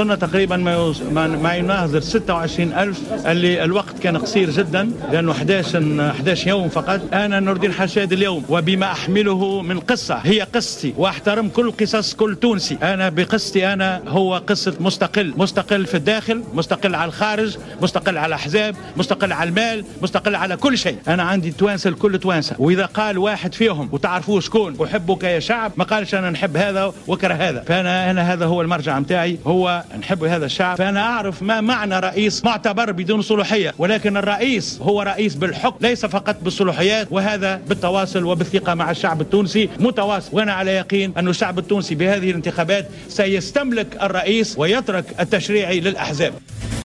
وصلنا تقريبا ما يناهز 26,000، اللي الوقت كان قصير جدا لأنه 11 يوم فقط. أنا نور الدين حشاد اليوم وبما أحمله من قصة، هي قصتي وأحترم كل قصص كل تونسي. أنا بقصتي أنا هو قصة مستقل، مستقل في الداخل، مستقل على الخارج، مستقل على الأحزاب، مستقل على المال، مستقل على كل شيء. أنا عندي توانسة، الكل توانسة، وإذا قال واحد فيهم وتعرفوه شكون أحبك يا شعب، ما قالش أنا نحب هذا وكره هذا. فأنا هذا هو المرجع متاعي، هو نحب هذا الشعب. فأنا أعرف ما معنى رئيس معتبر بدون صلاحية، ولكن الرئيس هو رئيس بالحكم ليس فقط بالصلاحيات، وهذا بالتواصل وبالثقة مع الشعب التونسي متواصل. وأنا على يقين أن الشعب التونسي بهذه الانتخابات سيستملك الرئيس ويترك التشريعي للأحزاب.